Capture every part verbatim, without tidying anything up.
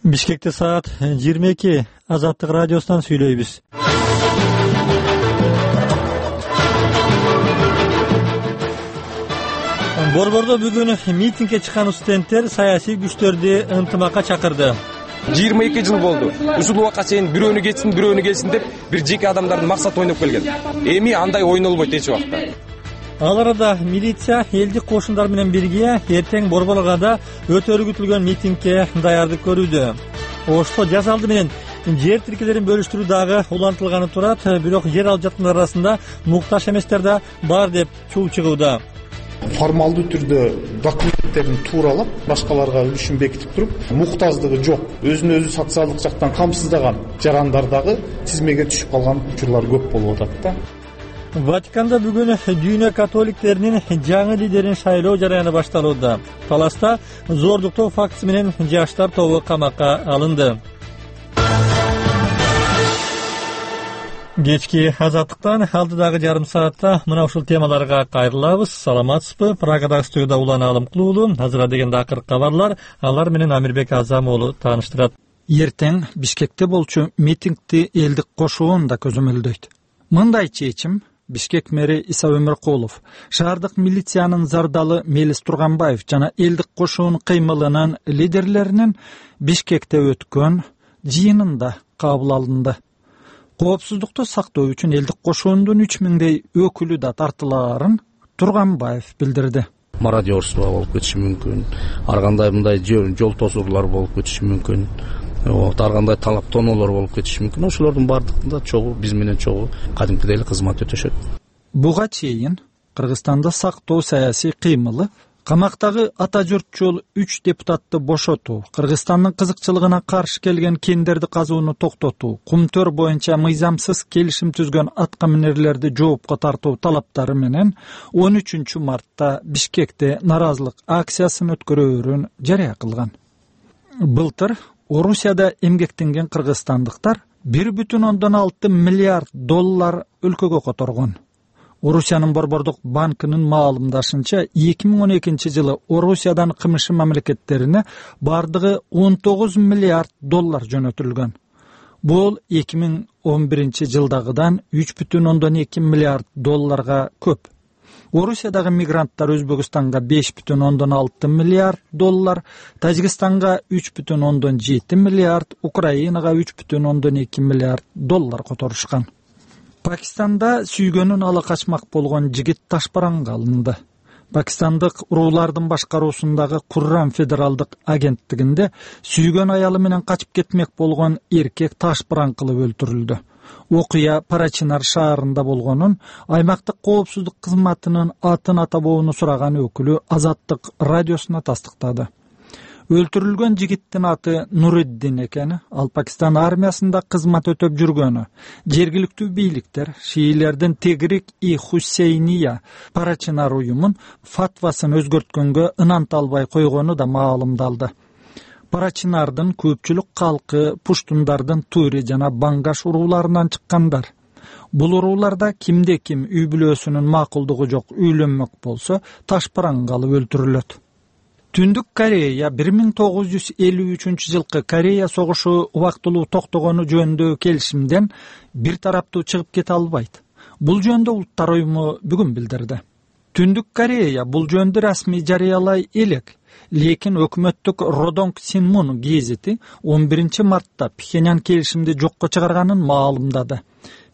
Бишкекте саат жыйырма эки. Азаттык радиосунан сүйлөйбүз. Борбордо бүгүн митингге чыккан студенттер саясий күчтөрдү ынтымакка чакырды. жыйырма эки жыл болду. Ушул убакка чейин бирөөнү кетсин, бирөөнү келсин деп бир жеке адамдардын максаты ойноп келген. Эми андай ойнолбойт эч убакта. Ал арада милиция элдик кошундар менен бирге эртең Борборгада өтөргүтүлгөн митингге даярдык көрүүдө. Ошто жаз алды менен жер тиркелерин бөлүштүрүү дагы улантылганы турат, бирок жер алып жаткандар арасында муктаж эместер да бар деп чуу чыгууда. Формалдуу түрдө документтерин тууралап, башкаларга үлүшүн бекитип туруп, муктаждыгы жок, өзүн өзү социалдык жактан камсыздаган жарандар дагы тизмеге түшүп калган учурлар көп болуп атат да. Ватиканда бүгүн дүйнө католиктеринин жаңы лидерин шайлоо жараяны башталууда. Таласта зордуктоо фактысы менен жаштар тобу камакка алынды. Кечки азаттыктан алдыдагы жарым саатта мына ушул темаларга кайрылабыз. Саламатсызбы? Прагадагы студияда Улан Алымкулуулу, азыркы дегенде акыркы кабарлар, алар менен Амирбек Азам уулу тааныштырат. Эртең Бишкекте болчу митингди элдик кошуун да көзөмөлдөйт. Мындай чечим Бишкек мэри Иса Өмөркулов, шаардык милициянын зардалы Мелис Турганбаев жана элдик кошуун кыймылынын лидерлеринин Бишкекте өткөн жыйынында кабыл алынды. Коопсуздукту сактоо үчүн элдик кошуундун үч миңдей өкүлү да тартылаарын Турганбаев билдирди. Мародерство болуп кетиши мүмкүн, ар кандай мындай жол тосуулар болуп кетиши мүмкүн. Вот, ар кандай талаптоолор болуп кетиши мүмкүн. Ошолордун бардыгында чогуу биз менен чогуу кадимкидей эле кызмат өтөшөт. Буга чейин Кыргызстанда сактоо саясий кыймылы, камактагы ата журтчул үч депутатты бошотуу, Кыргызстандын кызыкчылыгына каршы келген кендерди казууну токтотуу, кумтөр боюнча мыйзамсыз келишим түзгөн аткаминерлерди жоопко тартуу талаптары менен он үчүнчү мартта Бишкекте наразылык акциясын өткөрөөрүн жарыя кылган. Былтыр Орусияда эмгектенген кыргызстандыктар бир бүтүн ондон алты миллиард доллар өлкөгө которгон. Орусиянын Борбордук банкынын маалымдашынча эки миң он экинчи жылы Орусиядан кымшы мамлекеттерине бардыгы он тогуз миллиард доллар жөнөтүлгөн. Бул эки миң он биринчи жылдагыдан үч бүтүн ондон эки миллиард долларга көп. Орусиядагы мигранттар Өзбекстанга беш бүтүн ондон алты миллиард доллар, Тажикстанга үч бүтүн ондон жети миллиард, Украинага үч бүтүн ондон эки миллиард доллар которушкан. Пакистанда сүйгөнүн ала качмак болгон жигит ташбаранга алынды. Пакистандык уруулардын башкаруусундагы Куррам федералдык агенттигинде сүйгөн аялы менен качып кетмек болгон эркек ташбаран кылып өлтүрүлдү. Окуя Парачинар шаарында болгонун аймактык коопсуздук кызматынын атын атабоону сураган өкүлү Азаттык радиосуна тастыктады. Өлтүрүлгөн жигиттин аты Нуриддин экени, ал Пакистан армиясында кызмат өтөп жүргөнү. Жергиликтүү бийликтер шиилердин Техрик-и-Хуссейния Парачинар уюмун фатвасын өзгөрткөнгө ынанта албай койгону да маалымдалды. Парачинардын көпчүлүк калкы пуштундардын Тури жана Бангаш урууларынан чыккандар. Бул урууларда кимде ким үй бүлөсүнүн макулдугу жок үйлөнмөк болсо ташбаранга алып өлтүрүлөт. Түндүк Корея бир миң тогуз жүз элүү үчүнчү жылкы Корея согушу убактылуу токтогону жөнүндө келишимден бир тараптуу чыгып кете албайт. Бул жөнүндө Улуттар уюму бүгүн билдирди. Түндүк Корея бул жөнүндө расмий жарыялай элек, лекин өкмөттүк Родонг Синмун гезити он биринчи мартта Пхеньян келишимди жокко чыгарганын маалымдады.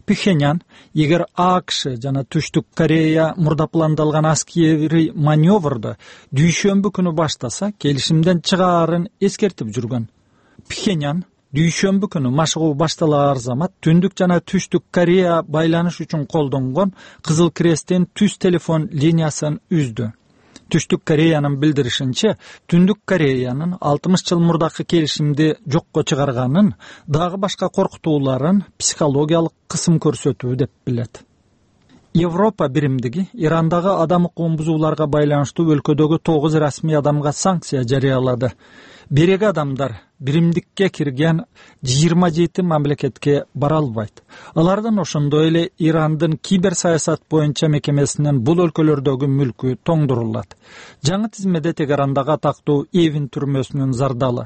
Пхеньян, эгер АКШ жана Түштүк Корея мурда пландалган аскери маневрду дүйшөмбү күнү баштаса, келишимден чыгаарын эскертип жүргөн. Пхеньян дүйшөмбү күнү машыгуу башталаар замат Түндүк жана Түштүк Корея байланыш үчүн колдонгон Кызыл Кресттин түз телефон линиясын үздү. Түштүк Кореянын билдиришинче, Түндүк Кореянын алтымыш жыл мурдакы келишимди жокко чыгарганын, дагы башка коркутууларын психологиялык кысым көрсөтүү деп билет. Европа биримдиги Ирандагы адам укугун бузууларга байланыштуу өлкөдөгү тогуз расмий адамга санкция жарыялады. Береги адамдар биримдикке кирген жыйырма жети мамлекетке бара албайт. Алардан ошондой эле Ирандын киберсаясат боюнча мекемесинин бул өлкөлөрдөгү мүлкү тоңдурулат. Жаңы тизмеде Тегерандагы атактуу Эвин түрмөсүнүн зардалы